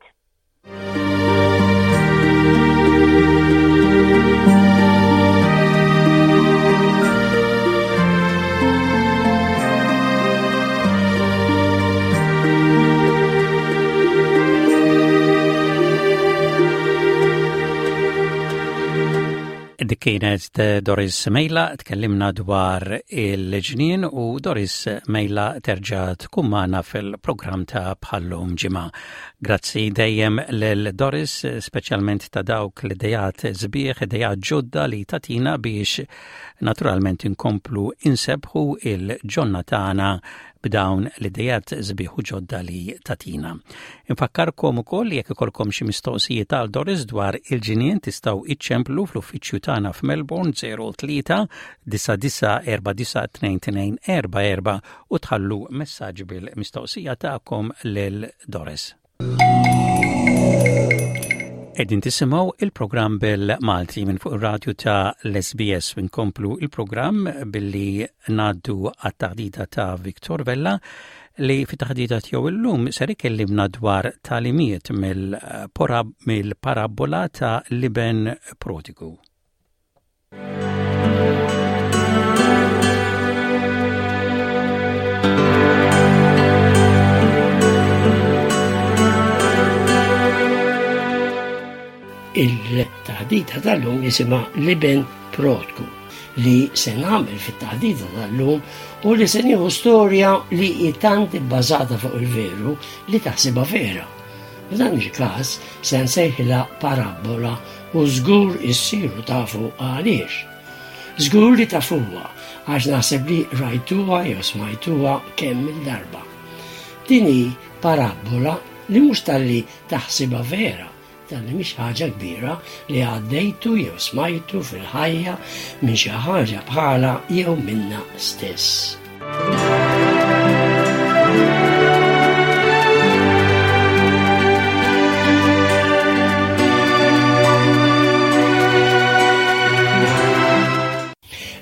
Dik kienet Doris Mejla, tkellimna dwar il-ġnien u Doris Mejla terġa' tkun magħna fil-programm ta' bħal-lum ġimgħa. Grazzi dejjem lil Doris, speċjalment ta' dawk l-idejat sbieħ, idejat ġodda li tatina biex naturalment inkomplu insebbħu il-ġonna tagħna b'dawn l-idejat sbieħ u ġodda li tatina. Infakkarkom ukoll jekk ikolkom xi mistoqsijiet għal Doris dwar il-ġinien tistgħu iċċemplu fl-uffiċċju tagħna f'Melbourne zero tlieta disa' disa' erba' disa' tnejn tnejn erba' erba' u tħallu messaġġ bil-mistoqsija tagħkom lil Doris. Qegħdin tisimgħu il-programm bil-Malti minn fuq ir-radju ta' l-S B S. Nkomplu il-programm billi ngħaddu għat-taħdita ta' Victor Vella, li fi taħdita tiegħu illum ser ikellimna dwar tagħlimiet mill-parabola ta' l-iben prodigu. Il-taħdita tal-lum jisimha L-Iben Prodku. Li se nagħmel fit-taħdita tal-lum u li se nieħu storja li hi tant ibbażata fuq il-veru li taħsibha vera. F'dan il-każ se nsejħilha parabola u żgur issiru tafu għaliex. Żgur li tafuha għax naħseb li rajtuha jew smajtuha kemm il-darba. Din hi parabola li mhux talli taħsibha vera, talli mhix ħaġa kbira li għaddejtu jew smajtu fil-ħajja minn xi ħaġa bħala jew minna stess.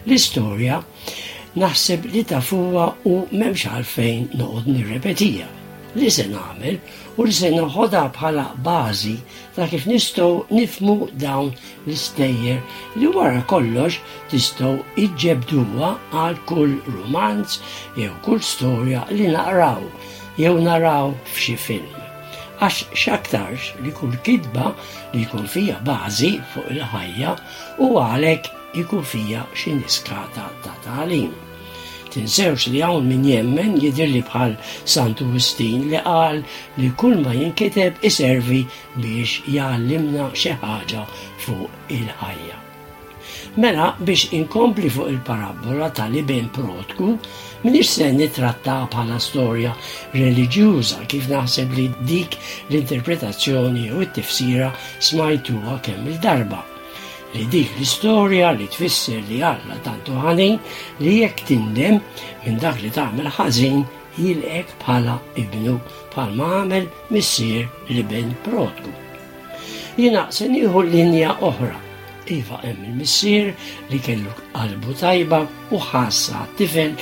L-istorja naħseb li tafuha u m'hemmx għalfejn noqgħod nirrepetija. Li se nagħmel u li se noħodha bħala bażi ta' kif nistgħu nifhmu dawn l-istejjer li wara kollox tistgħu iġġebduha għal kull romanz jew kull storja li naqraw jew naraw f'xi film. Għax x'aktarx li kull kitba li jkun fija bażi fuq il-ħajja u għalhekk jkun fija xi niskata ta' tagħlim. Tinsewx li hawn min jemmen, jidhirli bħal Santu Wistin, li qal li kull ma jinkiteb iservi biex jgħallimna xi ħaġa fuq il-ħajja. Mela, biex inkompli fuq il-parabola tal-iben prodku, minix se nitratta bħala storja reliġjuża, kif naħseb li dik l-interpretazzjoni u t-tifsira smajtuha kemm il-darba, li dik l-istorja li tfisser li Alla tant hu ħanin li jekk tindem minn dak li tagħmel ħażin jilqgħek bħala ibnu, bħalma għamel missier l-iben prodku. Jiena se nieħu linja oħra. Iva, hemm il-missier li kellu qalbu tajba u ħass għat-tifel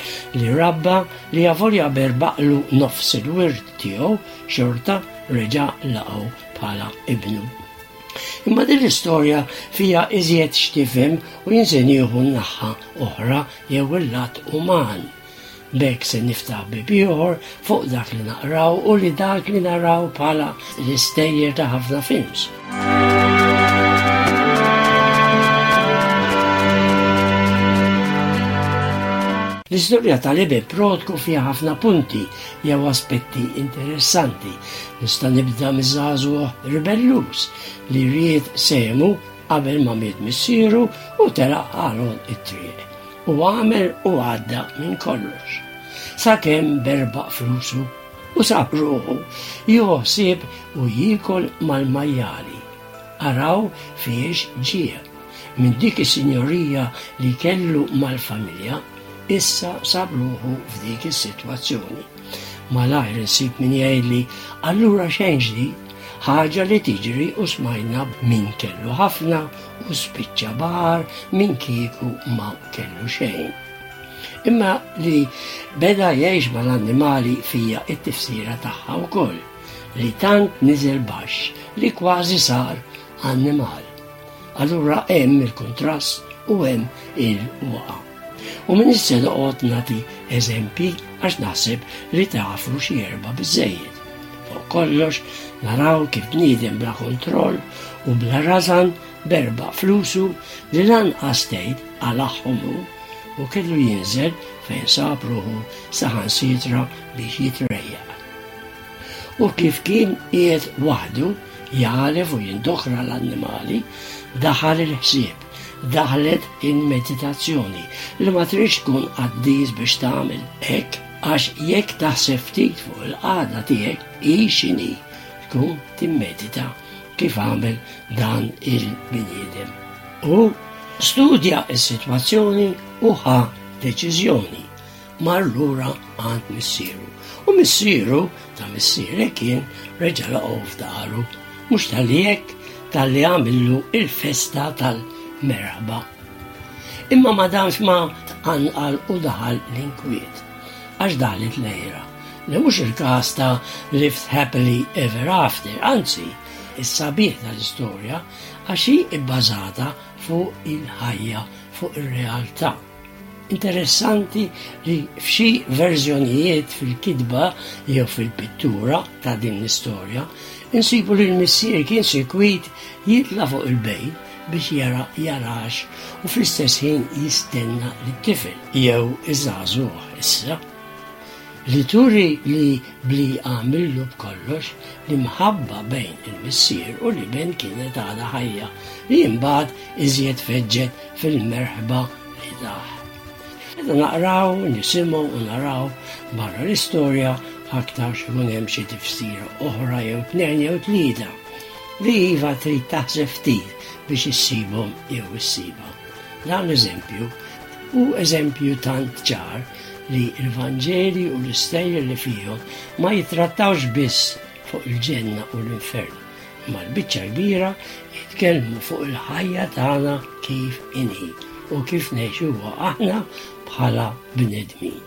li rabba, li avolja berbaqlu nofs il-wirt tiegħu, xorta reġa' laqgħu bħala ibnu. Imma din l-istorja fija iżjed x'tifhem u jien se nieħu naħa oħra jew il-lat uman. B'hekk se niftaħ bieb ieħor fuq dak li naqraw u li dak li naraw bħala l-istejjer ta' ħafna films. L-istorja tal-iben prodku fiha ħafna punti jew aspetti interessanti. Nista' nibda miż-żagħżugħ ribelluż li ried sehmu qabel ma miet missieru u telaq għal it-triq. U għamel u għadda minn kollox. Sakemm berbaq flusu u sab ruħu jieħu ħsieb u jiekol mal-majjali. Araw fiex ġie. Minn dik is-sinjorija li kellu mal-familja, issa sab ruħu f'dik is-sitwazzjoni. Malajr insib min jgħidli, allura xejn ġdid, ħaġa li tiġri u smajna min kellu ħafna u spiċċa agħar minn kieku ma kellu xejn. Imma li beda jgħix mal-annimali fiha it-tifsira tagħha wkoll, li tant niżel baxx li kważi sar annimal. Allura hemm il-kontrast u hemm il-waqa. U minn issa noqgħod nagħti eżempji għax naħseb li tafu xi erba' biżejjed. Fuq kollox naraw kif bniedem bla kontroll u bla rażan berbaq flusu li lanqas tgħid qalagħhom hu u kellu jinżel fejn sab ruħu saħansitra biex jitrejjaq. U kif kien qiegħed waħdu jagħlef u jindokra l-annimali, daħal il-ħsieb, daħlet il-meditazzjoni li ma tridx tkun qaddis biex tagħmel hekk għax jekk taħseb ftit fuq il-qagħda tiegħek hi x'inhi tkun timmedita kif għamel dan il-bniedem. U studja s-sitwazzjoni u ħa deċiżjoni. Mar lura għand missieru. U missieru ta' missierek kien reġa' laqgħu f'daru. Mhux talli hekk talli għamillu il-festa tal-merħba. Imma ma damx ma tqanqal u daħal l-inkwiet. Għax daħlet l-għira. Li mhux il-każ ta' lived happily ever after, anzi, is-sabiħ tal-istorja għax hi bbażata fuq il-ħajja, fuq ir-realtà. Interessanti li f'xi verżjonijiet fil-kitba jew fil-pittura ta' din l-istorja insibu li l-missier kien sikwit jitla' fuq il-bejt biex jara jarax u fl-istess ħin jistenna lit-tifel jew iż-żagħżugħ issa. Li turi li bli għamillu b'kollox l-imħabba bejn il-missier u l-iben kienet għadha ħajja li imbagħad iżjed feġġet fil-merħba li tah. Meta naqraw, nisimgħu u naraw barra l-istorja aktarx ikun hemm xi tifsira oħra jew tnejn jew tlieta li iva trid taħseb ftit biex issibhom jew issibha. Dan l-eżempju hu eżempju tant ċar li l-Vanġeli u l-istejjer li fihom ma jitrattawx biss fuq il-ġenna u l-infern, imma l-biċċa kbira jitkellmu fuq il-ħajja tagħna kif inhi u kif ngħixuha aħna bħala bnedmin.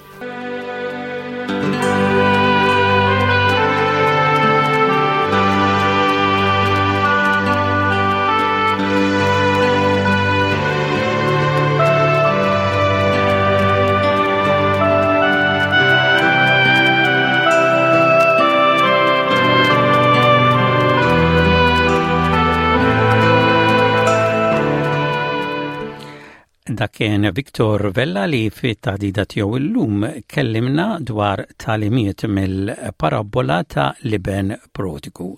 Dak kien Victor Vella li fit-taħdida tiegħu illum kellimna dwar tagħlimiet mill-parabola ta' l-iben prodigu.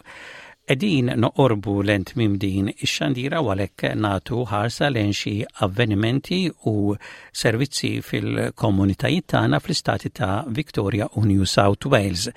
Qegħdin noqorbu lejn tmiem din ix-xandira u għalhekk nagħtu ħarsa lejn xi avvenimenti u servizzi fil-komunitajiet tagħna fl-istati ta' Victoria u New South Wales.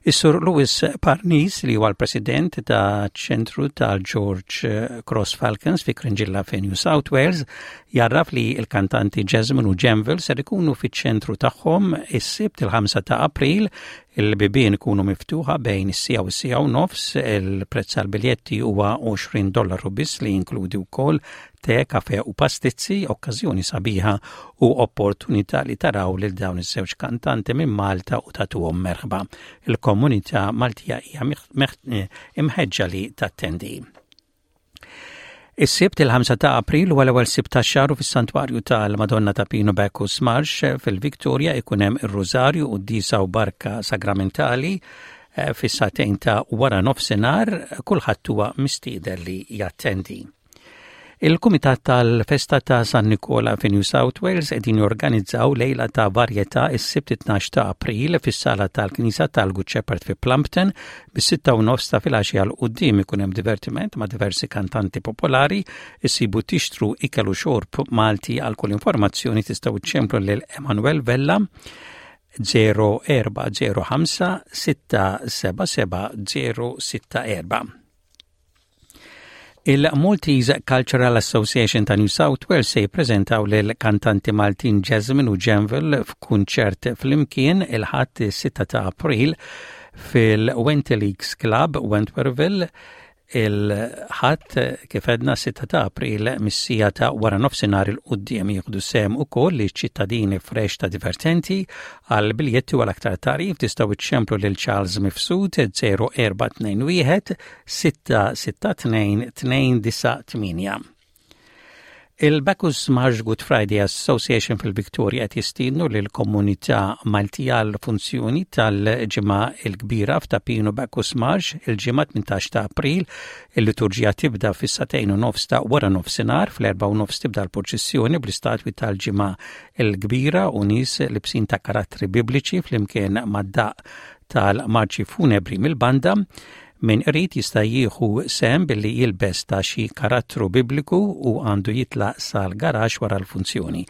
Is-Sur Louis Parnis, li huwa l-President ta' ċentru tal-George Cross Falcons fi Cringilla fi New South Wales, jgħarraf li il-kantanti Jasmine u Janville ser ikunu fiċ-ċentru tagħhom is-Sibt il-ħamsa ta' April. Il-bibien ikunu miftuħa bejn is-siegħa u s-siegħa u nofs. Il-prezz għal-biljetti huwa għoxrin dollaru biss li jinkludi wkoll te, kafe u pastizzi, okkażjoni sabiħa u opportunità li taraw lil dawn iż-żewġ kantanti minn Malta u tagħtuhom merħba. Il-komunità Maltija hija imħeġġa li tattendi. Is-Sibt il-ħamsa ta' April huwa l-ewwel Sibt tax-xahar u fis-Santwarju tal-Madonna ta' Pinu Bacchus Marsh fil-Victoria ikun hemm ir-Rużarju u d-Disa u Barka Sagramentali fis-sagħtejn ta' wara nofsinhar, kulħadd huwa mistieden li jattendi. Il-Kumitat tal-Festa ta' San Nikola fi New South Wales qegħdin jorganizzaw lejla ta' varjetà is-Sibt tnax ta' April fis-sala tal-Knisja tal-Good Shepherd fi Plumpton bis-sitta u nofs ta' filgħaxija 'l quddiem. Ikun hemm divertiment ma' diversi kantanti popolari, issibu tixtru ikel u xorb Malti. Għal kull informazzjoni tistgħu ċemplu lil Emanuel Vella zero erba' zero ħamsa sitta seba' seba' zero sitta erba'. Il-Maltese Cultural Association ta' New South Wales se jippreżentaw lil kantanti Maltin Jasmine u Janville f'kunċert flimkien il-Ħadd sitta ta' April fil-Wenty Leagues Club, Wentworthville, il-Ħadd, kif għedna, sitta ta' April mis-siegħa ta' wara nofsinhar 'il quddiem. Jieħdu sehem ukoll li ċittadini fresh ta' divertenti. Għal biljetti u għal aktar tagħrif tistgħu iċċemplu lil Charles Mifsud zero erba' tnejn wieħed sitta sitta tnejn tnejn disa' tmienja. Il-Bacchus Marsh Good Friday Association fil-Victoria qed jistiednu lil komunità Maltija għal funzjoni tal-Ġimgħa il-Kbira f'Ta' Pinu, Bacchus Marsh, il-Ġimgħa tmintax ta' April. Il-liturġija tibda fis-sagħtejn u nofs ta' wara nofsinhar, fl-erba' u nofs tibda l-purċissjoni bl-istatwi tal-Ġimgħa il-Kbira u nies libsin ta' karattri bibliċi flimkien mad-daqq tal-marċi funebri mill-banda. Min irid jista' jieħu sehem billi jilbes ta' xi karattru bibliku u għandu jitlaq sal-garaxx wara l-funzjoni.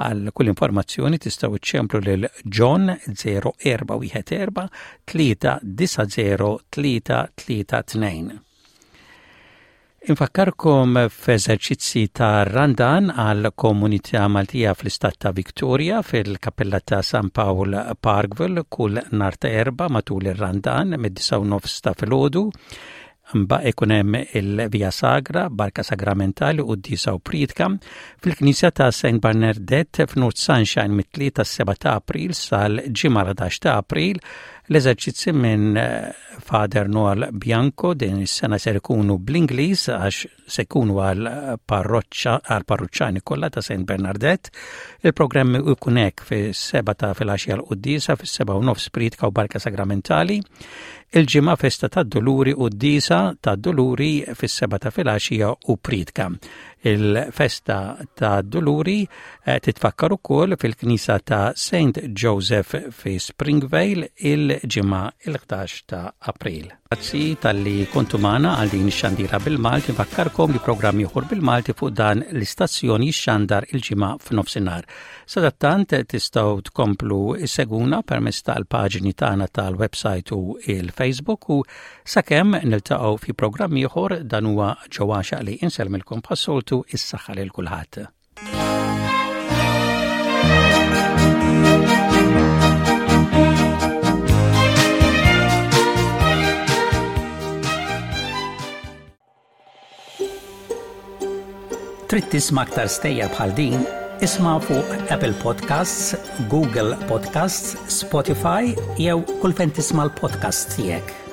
Għal kull informazzjoni tistgħu iċċemplu lil John zero erba' wieħed erba' tlieta disa' zero tlieta tlieta tnejn. Infakkarkom f'eżerċizzi ta' Randan għal komunità Maltija fl-istat ta' Victoria fil-Kappella ta' San Paul, Parkville, kull nhar ta' Erbgħa matul ir-Randan mid-disgħa u nofs ta' filgħodu. Mbagħad ikun hemm il-Via Sagra, Barka Sagramentali, quddiesa u priedka fil-Knisja ta' Saint Bernadette f'North Sunshine mit-tlieta seba' ta' April sal-Ġimgħa ħdax ta' April. L-eżerċizzi minn eh, Father Noel Bianco din is-sena ser ikunu bl-Ingliż għax se jkunu għal parroċċa għal parruċċani kollha ta' Saint Bernadette. Il-programm ikun hekk: fis-seba' ta' filgħaxija l-quddiesa, fis-seba' u nofs priedka u barka sagramentali. Il-Ġimgħa festa tad-Duluri, quddiesa tad-Duluri fis-seba' ta' filgħaxija u priedka. Il-festa tad-Duluri eh, titfakkar ukoll fil-Knisja ta' Saint Joseph fi Springvale il-Ġimgħa il-ħdax ta' April. Grazzi talli kontu magħna għal din ix-xandira bil-Malti. Nfakkarkom li programm ieħor bil-Malti fuq dan l-istazzjon jixxandar il-Ġimgħa f'nofsinhar. Sadattant tistgħu tkomplu issegwuna permezz tal-paġni tagħna tal-website u il-Facebook u sakemm niltaqgħu fi programm ieħor, dan huwa ġewwaxa li insellmilkom bħas-soltu, is-saħħa lil kulħadd. Trid tisma' aktar stejjer bħal din? Isma' fuq Apple Podcasts, Google Podcasts, Spotify jew kull fejn tisma' l-podcasts tiegħek.